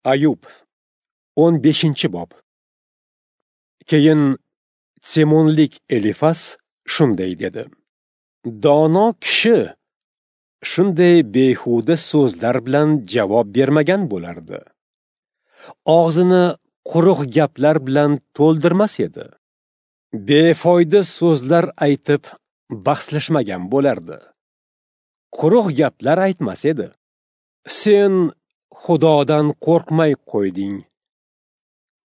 Ayub 15-bob. Keyin Semonlik Elifas shunday dedi: Dono kishi shunday behuda so'zlar bilan javob bermagan bo'lardi. Og'zini quruq gaplar bilan to'ldirmas edi. Befoyda so'zlar aytib bahslashmagan bo'lardi. Quruq gaplar aytmas edi. Sen Xudodan qo'rqmay qo'yding.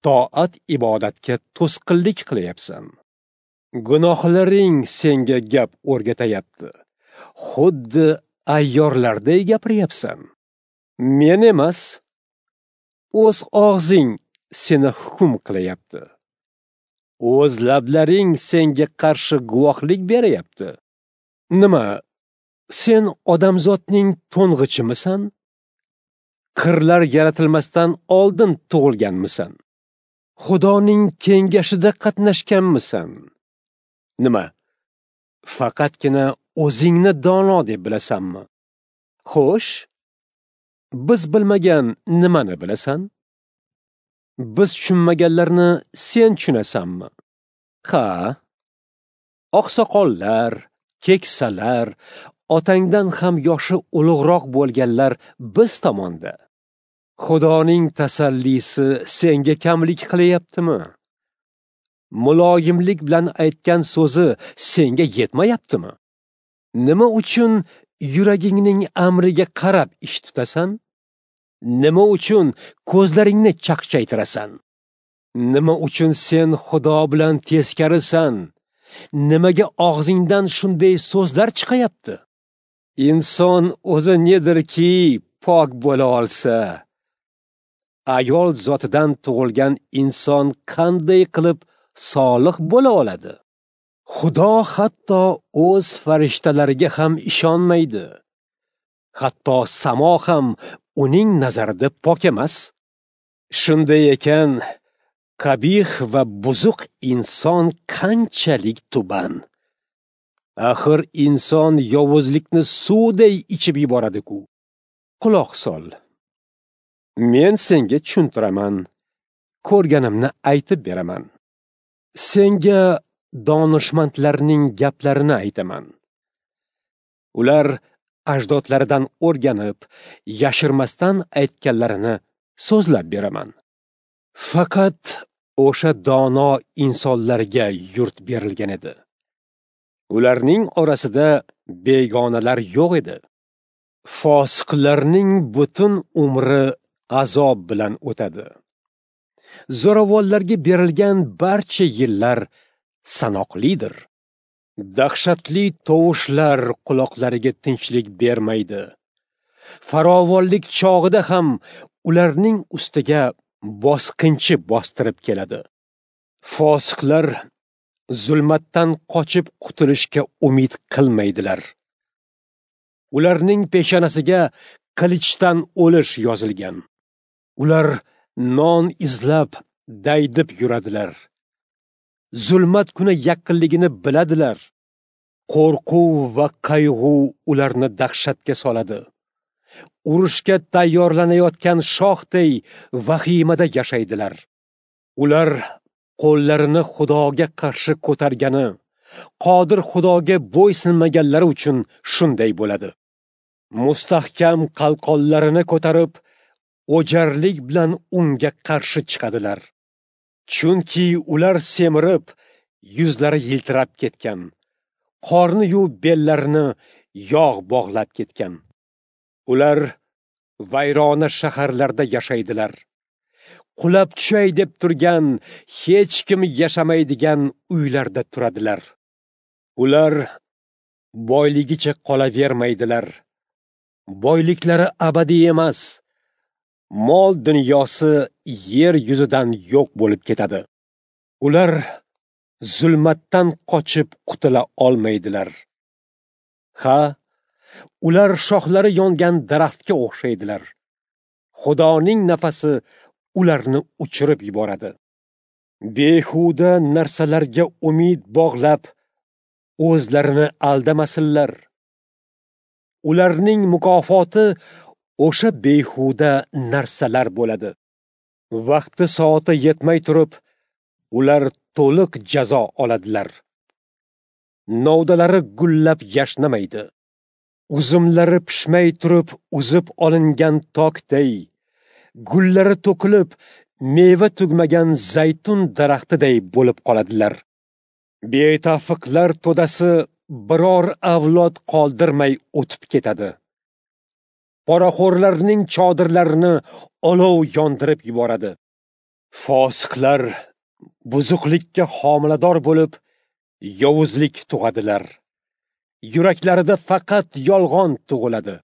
Toat ibodatga to'sqinlik qilyapsan. Gunohlaring senga gap o'rgatayapti. Xuddi ayyorlarday gapiryapsan. Men emas, o'z og'zing seni hukm qilyapti. O'z lablaring senga qarshi guvohlik beryapti. Nima, sen odamzodning to'ng'ichimisan? Qirlar yaratilmasdan oldin tug'ilganmisan? Xudoning kengashida qatnashganmisan? Nima, faqatgina o'zingni dono deb bilasanmi? Xo'sh, biz bilmagan nimani bilasan? Biz tushunmaganlarni sen tushunasanmi? Ha, oqsoqollar, keksalar, otangdan ham yoshi ulug'roq bo'lganlar biz tomonda. Xudoning tasallisi senga kamlik qilyaptimi? Muloyimlik bilan aytgan so'zi senga yetmayaptimi? Nima uchun yuragingning amriga qarab ish tutasan? Nima uchun ko'zlaringni chaqchaytirasan? Nima uchun sen Xudo bilan teskarisan? Nimaga og'zingdan shunday so'zlar chiqayapti? Inson o'zi nedirki pok bo'la olsa, ayol zotidan tug'ilgan inson qanday qilib solih bo'la oladi? Xudo hatto o'z farishtalariga ham ishonmaydi. Hatto samo ham uning nazarida pok emas. Shunday ekan, qabih va buzuq inson qanchalik tuban. Axir inson yovuzlikni suvday ichib yuboradi-ku. Quloq sol. Men senga tushuntiraman, ko'rganimni aytib beraman. Senga donishmandlarning gaplarini aytaman. Ular ajdodlaridan o'rganib, yashirmasdan aytganlarini so'zlab beraman. Faqat o'sha dono insonlarga yurt berilgan edi. Ularning orasida begonalar yo'q edi. Fosiqlarning butun umri azob bilan o'tadi. Zo'ravonlarga berilgan barcha yillar sanoqlidir. Dahshatli tovushlar quloqlariga tinchlik bermaydi. Farovonlik chog'ida ham ularning ustiga bosqinchi bostirib keladi. Fosiqlar zulmatdan qochib qutulishga umid qilmaydilar. Ularning peshonasiga qilichdan o'lish yozilgan. Ular non izlab daydib yuradilar. Zulmat kuni yaqinligini biladilar. Qo'rquv va qayg'u ularni dahshatga soladi. Urushga tayyorlanayotgan shohday vahimada yashaydilar. Ular qo'llarini Xudoga qarshi ko'targani, qodir Xudoga bo'ysunmaganlari uchun shunday bo'ladi. Mustahkam qalqonlarini ko'tarib, o'jarlik bilan unga qarshi chiqadilar. Chunki ular semirib, yuzlari yiltirab ketgan, qorni-yu bellarini yog' bog'lab ketgan. Ular vayrona shaharlarda yashaydilar. Qulab tushay deb turgan, hech kim yashamaydigan uylarda turadilar. Ular boyligicha qolavermaydilar. Boyliklari abadiy emas. Mol dunyosi yer yuzidan yo'q bo'lib ketadi. Ular zulmatdan qochib qutula olmaydilar. Ha, ular shoxlari yongan daraxtga o'xshaydilar. Xudoning nafasi ularni uchirib yuboradi. Behuda narsalarga umid bog'lab, o'zlarini aldamasinlar. Ularning mukofoti o'sha behuda narsalar bo'ladi. Vaqti soati yetmay turib, ular to'liq jazo oladilar. Novdalari gullab yashnamaydi. Uzumlari pishmay turib uzib olingan tokday, gullari to'kilib, meva tugmagan zaytun daraxtiday bo'lib qoladilar. Betafiqlar to'dasi biror avlod qoldirmay o'tib ketadi. Poraxo'rlarning chodirlarini olov yondirib yuboradi. Fosiqlar buzuqlikka homilador bo'lib, yovuzlik tug'adilar. Yuraklarida faqat yolg'on tug'iladi.